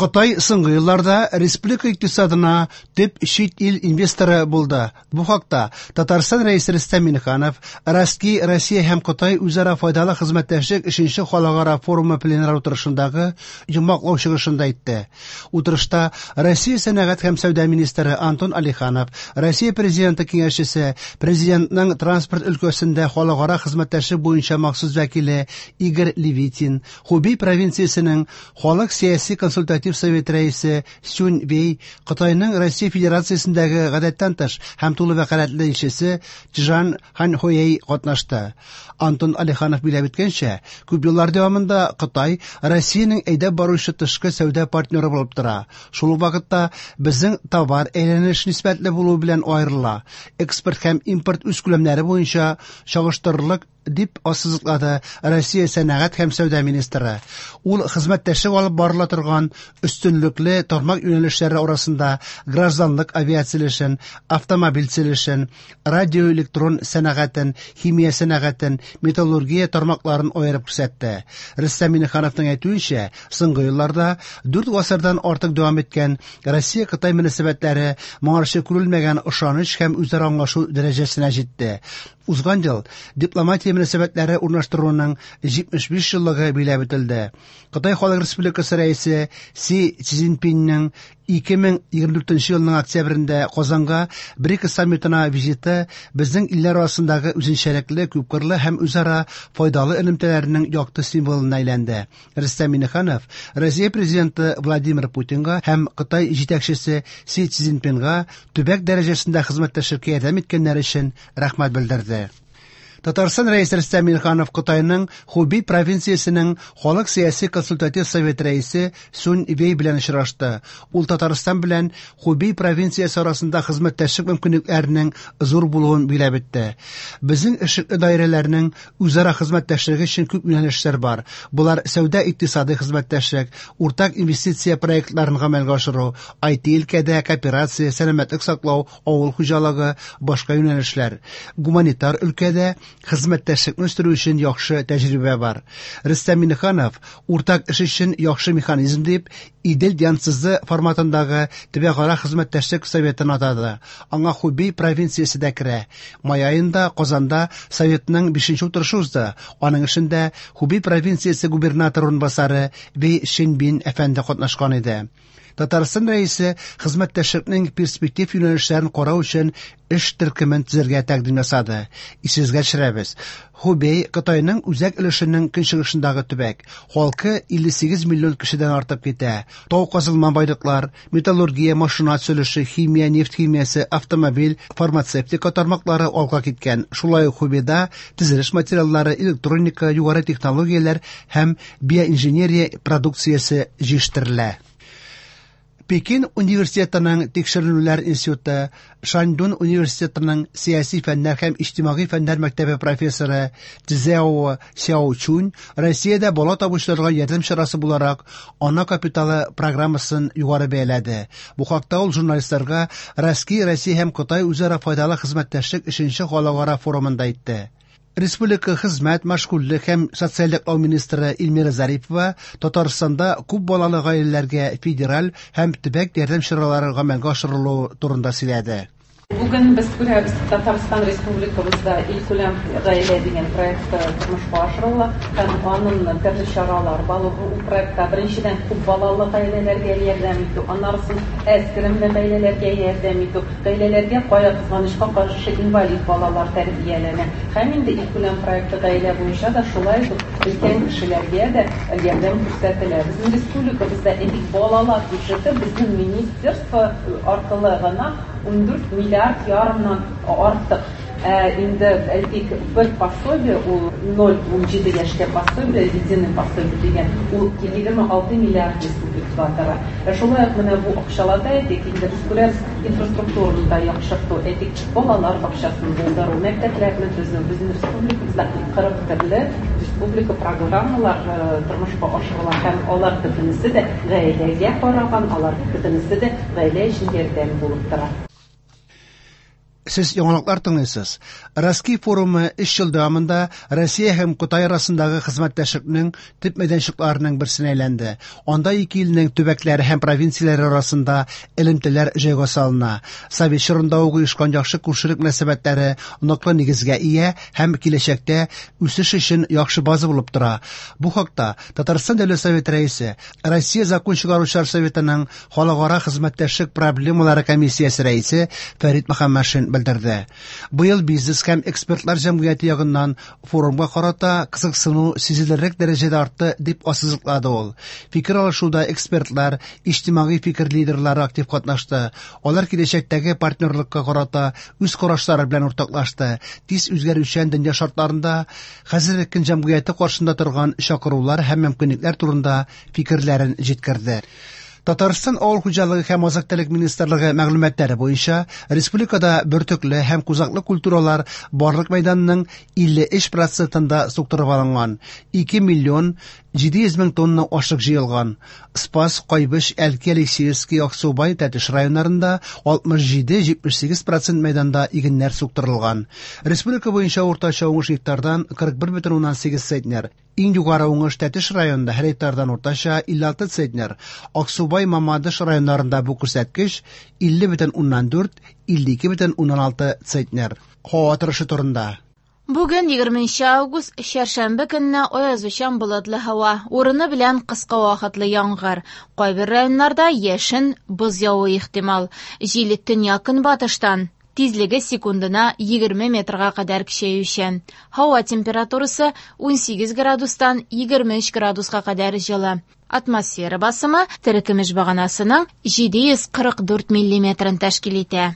Кытай соңгы елларда республика икътисадына төп чит ил инвесторы булды. Бу хакта Татарстан Рәисе Рөстәм Миңнеханов Ростки Россия һәм Кытай үзара файдалы хезмәттәшлек өченче халыкара форумы пленар утырышындагы йомгаклау чыгышында әйтте. Утырышта Россия сәнәгать һәм сәүдә министры Антон Алиханов, Россия Президенты киңәшчесе, Президентның транспорт өлкәсендә халыкара хезмәттәшлек буенча махсус вәкиле Игорь Левитин, Хубей провинциясенең Халык сәяси консультатив совет рәисе Сюнь Вей, Кытайның Россия Федерациясендәге гадәттән тыш һәм тулы вәкаләтле илчесе Чжан Ханьхуэй катнашты. Антон Алиханов биләп үткәнчә, күп еллар дәвамында Кытай Россиянең әйдәп баручы тышкы сәүдә партнеры булып тора. Шул ук вакытта безнең товар әйләнеш нисбәтле булуы белән аерыла. Экспорт һәм импорт үз күләмнәре буенча чагыштырырлык дип ассызыклады Россия сәнәгать һәм сәүдә министры. Ул хезмәттәшлек алып барыла торган өстенлекле тармак юнәлешләре арасында гражданлык авиациялешен, автомобиль төзелешен, радиоэлектрон сәнәгатен, химия сәнәгатен, металлургия тармакларын аерып күрсәтте. Рөстәм Миңнехановның әйтүенчә, соңгы елларда 4 гасырдан артык дәвам иткән Россия-Кытай мөнәсәбәтләре моңарчы күрелмәгән ышаныч һәм үзара аңлашу дәрәҗәсенә җитте. Узган ел дипломатия мөнәсәбәтләре урнаштыруның 75 еллыгы биләп үтелде. Кытай Халык Республикасы рәисе Си Цзиньпинның 2024 елның октябрендә Казанга БРИКС саммитына визиты безнең илләр арасындагы үзенчәлекле, күпкырлы һәм үзара файдалы элемтәләрнең якты символына әйләнде. Рөстәм Миңнеханов Россия Президенты Владимир Путинга һәм Кытай җитәкчесе Си Цзиньпинга төбәк дәрәҗәсендә хезмәттәшлеккә ярдәм иткәннәре өчен рәхмәт белдерде. Татарстан Рәисе Рөстәм Миңнеханов Кытайның Хубей провинциясенең Халык сәяси консультатив совет рәисе Сунь Вей белән очрашты. Ул Татарстан белән Хубей провинциясе арасында хезмәттәшлек мөмкинлекләренең зур булуын биләп үтте. Безнең эшлекле даирәләрнең үзара хезмәттәшлеге өчен күп юнәлешләр бар. Болар сәүдә-икътисадый хезмәттәшлек, уртак инвестиция проектларын гамәлгә ашыру, IT өлкәдә кооперация, сәламәтлек саклау, авыл хуҗалыгы, башка юнәлешләр. Гуманитар өлкәдә хезмәттәшлекне үстерү өчен яхшы тәҗрибә бар. Рөстәм Миңнеханов уртак эш өчен яхшы механизм дип Идел Янцзы форматындагы төбәкара хезмәттәшлек советын атады. Аңа Хубей провинциясе дә керә. Май аенда Казанда советның 5 утырышы узды. Аның эшендә Хубей провинциясе губернаторы урынбасары Вей Шенбин әфәнде катнашкан иде. Татарстан рәисе хезмәттәшлекнең перспектив юнәлешләрен карау өчен эш төркемен төзергә тәкъдим ясады. Исегезгә төшерәбез. Хубей Кытайның үзәк өлешенең көнчыгышындагы төбәк. Халкы 58 миллион кешедән артып китә. Тау казылма байлыклар, металлургия, машина төзелеше, химия, нефть химиясе, автомобиль, фармацевтика тармаклары алга киткән. Шулай ук Хубейда төзелеш материаллары, электроника, югары технологияләр һәм биоинженерия продукциясе җитештерелә. Пекин университетының тикшеренүләр институты, Шаньдун университетының сәяси фәннәр һәм иҗтимагый фәннәр мәктәбе профессоры Цзяо Сяочунь Россиядә бала табучыларга ярдәм чарасы буларак ана капиталы программасын югары бәяләде. Бу хакта ул журналистларга Россия, Россия һәм Кытай үзара файдалы хезмәттәшлек өченче халыкара форумында әйтте. Республика хезмәт, мәшгульлек һәм социаль яклау министры Эльмира Зарипова Татарстанда күп балалы гаиләләргә федераль һәм төбәк ярдәм чаралары гамәлгә ашырылуы турында сөйләде. Бүген без күрәбез, Татарстан Республикабызда илкүләм гаилә дигән проект тормышка ашырыла һәм аның төрле чаралар бар. Ул проектта беренчедән күп балалы гаиләләргә ярдәм итү, аннарысын әз керемле гаиләләргә ярдәм итү, гаиләләргә кая кызганычка каршы инвалид балалар тәрбияләнә. Һәм инде илкүләм проекты гаилә буенча да шулай ук өлкән кешеләргә дә ярдәм күрсәтелә. Безнең республикабызда элек балалар бюджеты безнең министерство аркылы гына 14 миллиард ярымнан артык. Инде әйтик, бер пособие ул 0,17 яшькә пособие, единый пособие дигән, ул 26 миллиард республикага тора. Шулай ук менә бу акчаларда әйтик, инде без күрәбез инфраструктураны да яхшырту, әйтик, балалар бакчасын булдыру, мәктәпләрне төзү. Безнең республикабызда 40 төрле республика программалар тормышка ашырыла һәм алар бөтенесе дә гаиләгә караган, алар бөтенесе дә гаилә өчен ярдәм булып тора. Сез яңалыклар тыңлыйсыз. Ростки форумы 3 ел дәвамында Россия һәм Кытай арасындагы хезмәттәшлекнең төп мәйданчыкларының берсенә әйләнде. Анда ике илнең төбәкләре һәм провинцияләре арасында элемтәләр җайга салына. Совет чорында ук оешкан яхшы күршелек мөнәсәбәтләре ныклы нигезгә ия һәм киләчәктә үсеш өчен яхшы база булып тора. Бу хакта Татарстан Дәүләт Советы рәисе, Россия Закон чыгаручылар советының халыкара хезмәттәшлек проблемалары комиссиясе рәисе Фәрит Мөхәммәтшин белдерде. Быел бизнес һәм экспертлар җәмгыяте ягыннан форумга карата кызыксыну сизелерлек дәрәҗәдә артты, дип ассызыклады ул. Фикер алышуда экспертлар, иҗтимагый фикер лидерлары актив катнашты. Алар киләчәктәге партнерлыкка карата үз карашлары белән уртаклашты. Тиз үзгәрүчән дөнья шартларында хәзерге көн җәмгыяте каршында торган чакырулар һәм мөмкинлекләр турында фикерләрен җиткерде. Татарстан Авыл хуҗалыгы һәм азык-төлек министрлыгы мәгълүматлары буенча, республикада бөртекле һәм кузаклы культуралар барлык мәйданның 53 процентында суктырып алынган. 2 миллион 700 мең тонна ашлык җыелган. Спас, Кайбыч, Әлки, Алексеевский, Аксубай, Тәтеш районнарында 67-78 процент мәйданда игеннәр суктырылган. Республика буенча уртача уңыш гектардан 41,8 центнер. Иң югары уңыш Тәтеш районында һәр гектардан уртача 56 центнер. Аксубай, Мамадыш районнарында бу күрсәткеч 50,4, 52,6 центнер. Һава торышы турында. Бүген 20 август, чәршәмбе көнне аязучан болытлы һава, урыны белән кыска вакытлы яңгыр. Кайбер районнарда яшен, боз явуы ихтимал. Җил төньяк-көнбатыштан, тизлеге секундына 20 метрга кадәр көчәючән. Һава температурасы 18 градустан 23 градуска кадәр җылы. Атмосфера басымы терекөмеш баганасының 744 миллиметрын тәшкил итә.